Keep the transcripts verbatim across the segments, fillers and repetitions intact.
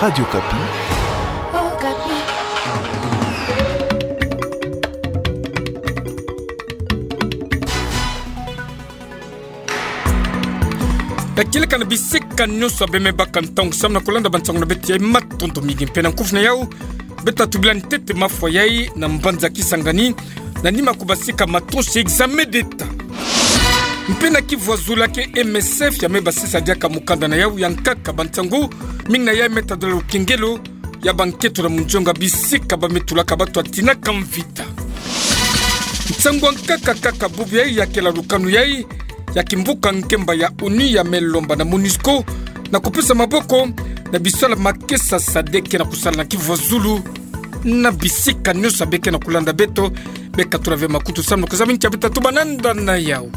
Radio Okapi. Ka kieleka na bisika nyonso abe me baka ntangu samu na kulanda bansangu na beto yai, matondo mingi. Mpe na nkufi na yau, beto tubila ntete mafwa yai na mbanza Kisangani, na nima kubasika matonsi examen d'État. Mpe na kivu azulake M S F ya me basisa diaka mukanda na yau ya nkaka bansangu, mingi na yai me tadula lukengelo ya banketo na munzonga bisika ba me tulaka bato ya tinaka mvita. Nsangu ya nkaka kaka bubu yai ya kela lukanu yai ya kimvuka ngemba ya ONU ya me lomba na MONUSCO na kupesa maboko na bisalu ya makesa SADC ke na kusala na kivu azulu na bisika nyonso abe ke na kulanda beto. Beka tula ve makutu samu na kuzaba ntia beto tubana nda na yau.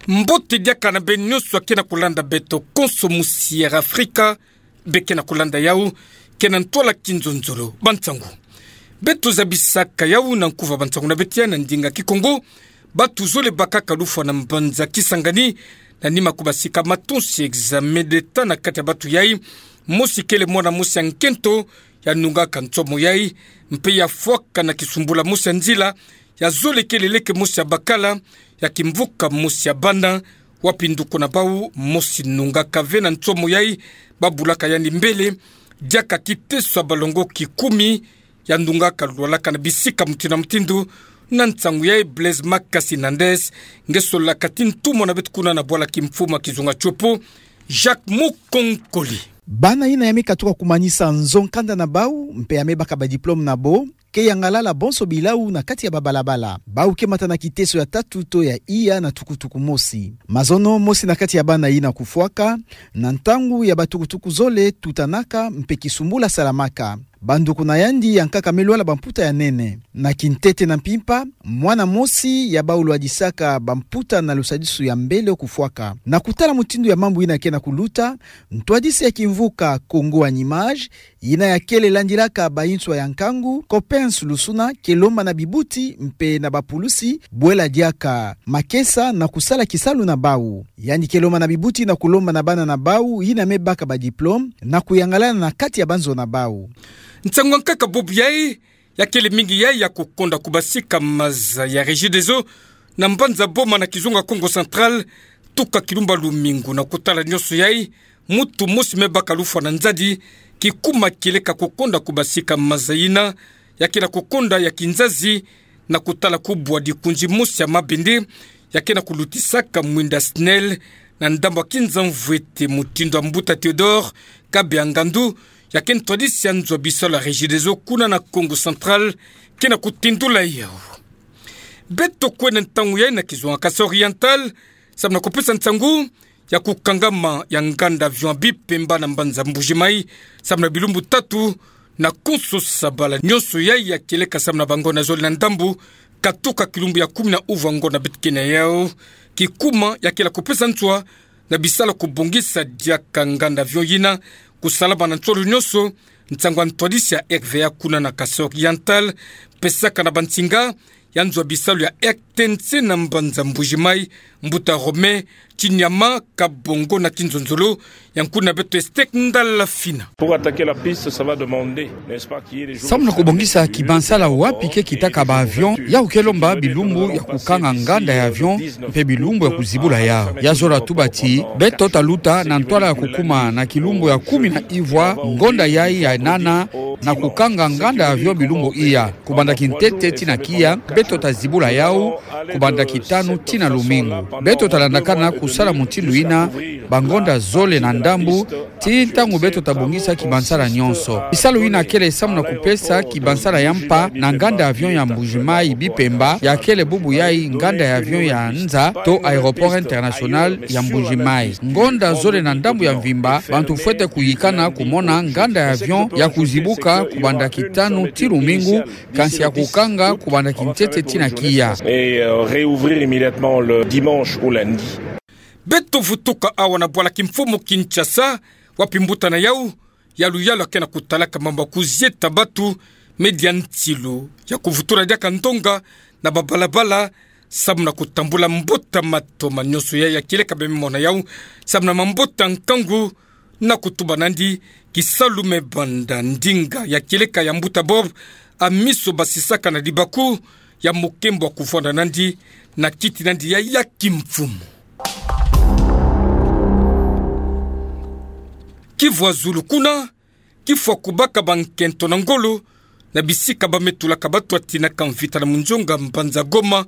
Mbote diaka na beno nyonso ake na kulanda beto konso, musi ya Afrika be ke na kulanda yau, ke na ntwala kinzonzolo. Bansangu, beto zabisaka yau na nkufi ya bansangu na beto yai na ndinga Kikongo. Bato zole bakaka lufwa na mbanza Kisangani na nima kubasika matonsi examen d'État. Na kati ya bato yai, mosi kele mwana mosi ya nkento ya nungaka nsomo yai, mpe ya fwaka na kisumbula mosi ya nzila. Ya zole kele leke mosi ya bakala ya kimvuka mosi ya bana, wapi nduku na bau mosi nungaka ve na nsomo yai, babulaka yandi mbele diaka kiteso ya balongo kikumi. Ya nungaka lwalaka na bisika mutindu na mutindu. Na nsangu yai, Blaise Makasi Nandes nge solaka ti ntumwa na beto kuna na bwala kimfumu ya kizunga Tshopo, Jacques Mukonkole. Bana yina ya me katuka kumanisa nzo nkanda na bau mpe ya me baka badiplome na bo, ke yangalala bonso bilau na kati ya babalabala. Bau ke mata na kiteso ya tatu to ya iya na tukutuku mosi. Mazono mosi na kati ya bana yina kufwaka na ntangu ya batukutuku zole tutanaka mpe kisumbula salamaka. Banduku na yandi ya nkaka me lwala bamputa ya nene. Na kintete na mpimpa, mwana mosi ya bau lwadisaka bamputa na lusadisu ya mbele kufwaka. Na kutala mutindu ya mambu yina ke na kuluta, ntwadisi ya kimvuka Congo en Images, yina ya kele landilaka bayinswa ya nkangu, Coppens Lusuna, ke lomba na bibuti mpe na bapulusi bwela diaka makesa na kusala kisalu na bau. Yandi ke lomba na bibuti na kulomba na bana na bau yina me baka badiplome na kuyangalala na kati ya banzo na bau. Nsangu ya nkaka bubu yai ya kele mingi yai ya kukonda kubasika maza ya Regideso na mbanza Boma na kizunga Kongo Central, tuka kilumbu ya lumingu. Na kutala nyonso yai, mutu mosi me baka lufwa na nzadi kikuma kieleka kukonda kubasika maza yina ya ke na kukonda ya kinzazi. Na kutala kubwa dikunzi mosi ya mabende ya ke na kulutisaka mwinda SNEL na ndambu ya kinza mvwete, mutindu ya mbuta Théodore Kabeya Ngandu, ya ke ntwadisi ya nzo ya bisalu ya Regideso kuna na Kongo Central, ke na kutindula yau. Beto kwenda ntangu yai na kizunga Kasaï Oriental samu na kupesa nsangu ya kukangama ya nganda avion ya Bipemba na mbanza Mbuji-Mayi samu na bilumbu tatu na konso sabala. Nyonso yai ya kieleka samu na bangonda zole na ndambu katuka kilumbu ya kumi na uvu ya ngonda beto ke na yau. Kikuma ya kela kupesa nswa na bisalu ya kubongisa diaka nganda avion yina kusalama na nsolo nyonso. Nsangu ya ntwadisi ya R V A kuna na Kasaï Oriental pesaka na bansinga ya nzo ya bisalu ya R T N C na mbanza Mbuji-Mayi, mbuta Romain Tsinyama Kabongo na kinzonzolo ya nkuna beto Esther Ndala Fina. Pour attaquer la piste, ça va demander, n'est-ce pas, qu'il y ait des jours... Samu na kubongisa kibansala wapi ke kitaka ba avion, ya ke lomba bilumbu ya kukanga nganda ya avion mpe bilumbu ya kuzibula yau. Ya zola tuba ti beto taluta na ntwala ya kukuma na kilumbu ya kumi na ivwa ngonda yai ya nana na kukanga nganda ya avion bilumbu iya, kubanda kintete tii na kiya. Beto tazibula yau kubanda kitanu tii na lumingu. Beto talandakana kusala mutindu yina bangonda zole na ndambu tii ntangu beto tabongisa kibansala nyonso. Bisalu yina kele samu na kupesa kibansala ya mpa na nganda ya avion ya Mbuji-Mayi Bipemba, ya kele bubu yai nganda ya avion ya nza to aéroport international ya Mbuji-Mayi. Ngonda zole na ndambu ya mvimba, bantu fwete kuyikana kumona nganda ya avion ya kuzibuka kubanda kitanu tii lumingu, kansi ya kukanga kubanda kintete tii na kiya. Et, euh, réouvrir immédiatement le dimanche ou lundi. Beto vutuka awa na bwala kimfumu Kinshasa, wapi mbuta na yau ya luyalu ya ke na kutalaka mambu ya kuzieta batu me dia ntilu ya kuvutula diaka ndonga na babalabala samu na kutambula mbuta matoma nyonso ya, ya kieleka bemona yau, samu na mbuta nkangu, na kutuba nandi, kisalu me banda ndinga ya kieleka ya mbuta Bob, a miso basisaka na dibaku, ya mukembo kuvwanda nandi, na kiti nandi ya, ya kimfumu. Kivu Azulu kuna, kifwa kubaka bankento na ngolo, na bisika ba me tulaka batu ya tinaka mvita na munzonga mbanza Goma,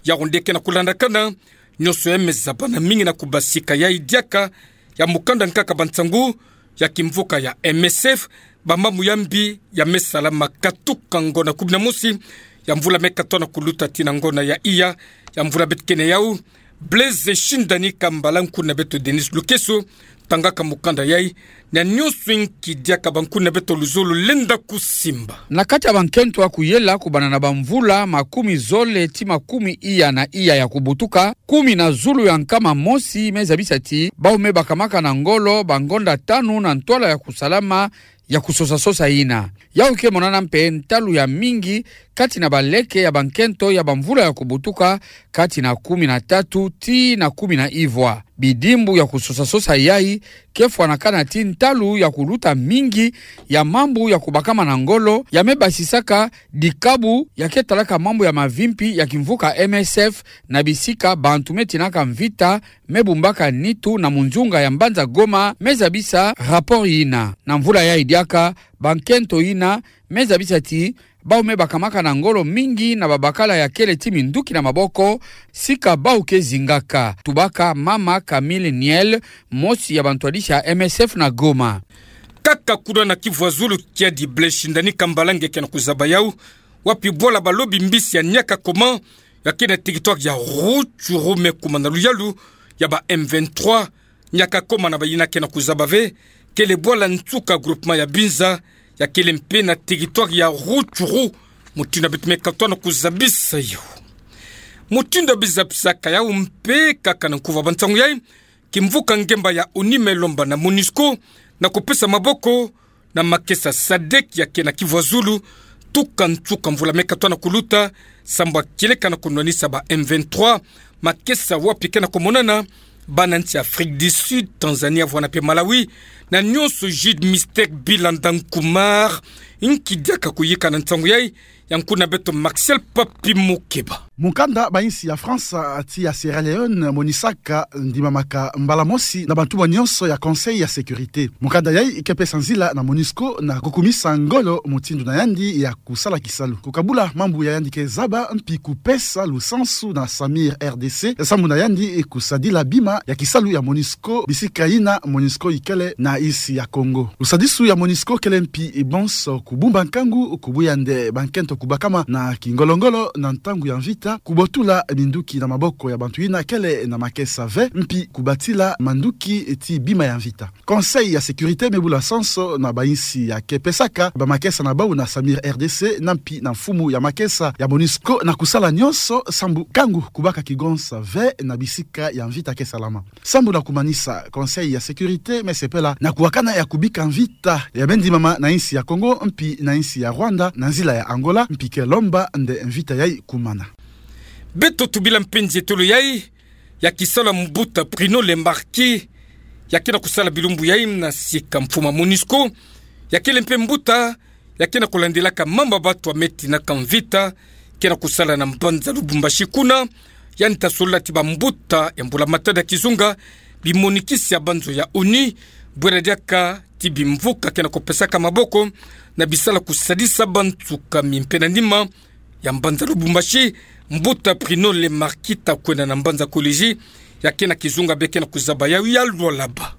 ya onde ke na kulandakana, nyonso ya me zaba na mingi na kubasika yai diaka, ya mukanda nkaka ba nsangu, ya kimvuka ya M S F, ba mambu ya mbi, ya me salama katuka ngonda kumi na mosi, ya mvula me katoa na kuluta tii na ngonda ya iya, ya mvula beto kena yau, Blaise Shindani Kambala, nkuna beto Denis Lukeso, tangaka mukanda yai, na nyonso inki diaka ba nkuna beto luzolo lenda kusimba. Na kati ya bankento ya kuyela kubanda na bamvula makumi zole tii makumi iya na iya ya kubutuka, kumi na zulu ya nkama mosi me zabisa ti, bau me bakamaka na ngolo bangonda tanu na ntwala ya kusalama, ya kusosa-sosa yina. Yau ke monana mpe ntalu ya mingi, kati na baleke ya bankento ya bamvula ya kubutuka, kati na kumi na tatu tii na kumi na ivwa. Bidimbu ya kusosa-sosa yai, ke fwanakana ti ntalu ya kuluta mingi, ya mambu ya kubakama na ngolo, ya me basisaka, dikabu, ya ke talaka mambu ya mavimpi, ya kimvuka M S F, na bisika bantu me tinaka mvita, me bumbaka nitu na munzunga ya mbanza Goma, me zabisa rapport yina. Na mvula yai diaka, bankento yina, me zabisa ti, bau me bakamaka na ngolo mingi na babakala ya kele ti minduki na maboko, sika bau ke zingaka. Tubaka mama Camille Niel, mosi ya bantwadisi ya M S F na Goma. Kaka kuna na Kivu Azulu kiadi Blaise Shindani Kambala nge ke na kuzaba yau, wapi bwala balobi mbisi ya Niakakoma, ya ke na territoire ya Rutshuru me kuma na luyalu ya ba M vingt-trois, Niakakoma na bayina ke na kuzaba ve, kele bwala nsuka groupement ya Binza, ya kele mpe na territoire ya Rutshuru, mutindu beto me katoa na kuzabisa yau. Mutindu ya bizabisaka yau mpe kaka na nkuva ba nsangu yai, kimvuka ngemba ya ONU me lomba na MONUSCO, na kupesa maboko, na makesa sadek ya ke na Kivu Azulu, tuka nsuka mvula me katoa na kuluta, sambu ya kieleka na kunwanisa ba M vingt-trois, makesa wapi ke na kumonana, bana nsi Afrique du Sud, Tanzanie, vwala mpe Malawi, na nyonso Jude Mystère Bilanda Nkumar, inki diaka kuyika na nsangu yai, ya nkuna beto Martial Papi Mukeba. Mukanda ba insi ya France, tii ya Sierra Leone, monisaka ndimamaka mbala mosi na bantumwa nyonso ya Conseil ya Sécurité. Mukanda yai ke pesa nzila na MONUSCO na kukumisa ngolo mutindu na yandi ya kusala kisalu. Kukabula mambu ya yandi ke zaba mpi kupesa lusansu na Samir R D C, sambu na yandi kusadila bima ya kisalu ya MONUSCO, bisika yina MONUSCO ikele na insi ya Congo. Lusadisu ya MONUSCO kele mpi bonso kubumba nkangu, kubuya nde bankento kubakama na kingolo-ngolo na ntangu ya mvita, kubotula minduki na maboko ya bantu yina kele na makesa ve, mpi kubatila manduki tii bima ya mvita. Conseil ya Sécurité me bula sanso na ba insi ya ke pesaka ba makesa na bau na Samir R D C, na mpi na mfumu ya makesa ya MONUSCO na kusala nyonso sambu nkangu kubaka kigonsa ve na bisika ya mvita ke salama. Sambu na kumanisa, Conseil ya Sécurité me sepela na kuwakana ya kubika mvita ya me ndimama na insi ya Congo, mpi na insi ya Rwanda, na nzila ya Angola, mpi ke lomba nde mvita yai kumana. Beto tubila mpe nzietolo yai, ya kisalu ya mbuta Bruno Le Marquis, ya ke na kusala bilumbu yai na sika mfumu ya MONUSCO, ya kele mpe mbuta, ya ke na kulandilaka mambu ya bantu ya me tinaka mvita, ke na kusala na mbanza Lubumbashi kuna, yandi ta solola ti bambuta ya mbula matadi ya kizunga, bimonikisi ya banzo ya ONU, bwela diaka ti bimvuka ke na kupesaka maboko, na bisalu ya kusadisa bansuka mimpe na nima, ya mbanza Lubumbashi, mbuta Bruno Le Marquis ta kwenda na mbanza Kolwezi, ya ke na kizunga bie ke na kuzaba yau ya Lualaba.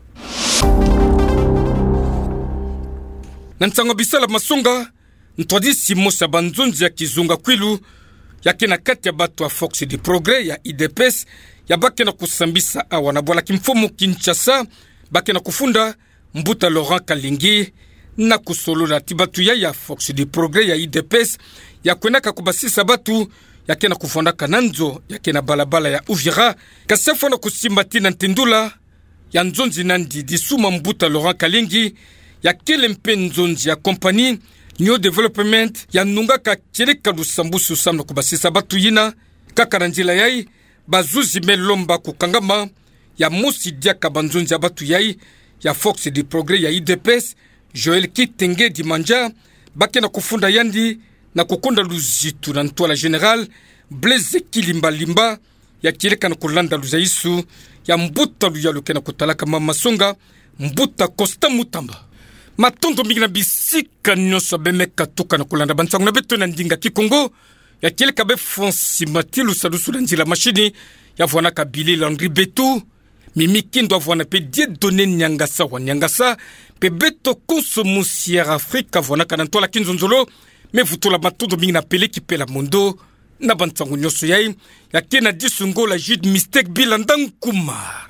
Na nsangu ya bisalu ya masonga, ntwadisi mosi ya banzonzi ya kizunga Kwilu, ya ke na kati ya bantu ya Force du Progrès, ya U D P S, ya ba ke na kusambisa awa na bwala kimfumu Kinshasa, ba ke na kufunda, mbuta Laurent Kalingi, na kusolola ti bantu yai ya Force du Progrès ya U D P S, ya kwendaka kubasisa bantu, ya ke na kuvwandaka na nzo, ya ke na balabala ya Uvira, kasi afwa na kusimba ti na ntendula ya nzonzi nandi Dissouma, mbuta Laurent Kalingi, ya kele mpe nzonzi ya compagnie New Development, ya nungaka kieleka lusambusu samu na kubasisa bantu yina, Kaka na nzila yai, bazuzi me lomba kukangama, ya mosi diaka banzonzi ya batu yai ya Force du Progrès ya U D P S, Joël Kitenge Dimandja, ba ke na kufunda yandi na kukonda luzitu na ntwala général Blaise Kilimbalimba, ya kieleka na kulanda luzaisu ya mbuta luyalu ke na kutalaka mama songa, mbuta Constant Mutamba. Matondo mingi na bisika nyonso beme katuka na kulanda bansangu na beto na ndinga Kikongo, ya kieleka bê Francis Matilu salusu na nzila machine, ya vwanaka Billy Landry Betu, Mimi Kindo, a vwana pe Dieudonné Niangasa wa Niangasa, pe beto konso musi Air Afrique a vwanaka na ntwala kinzonzolo, me vutula matondo mingi na Pele Kipela Mondo, na bansangu nyonso yai, ya ke na disu ngo la Jude Mistake Bilanda Nkuma.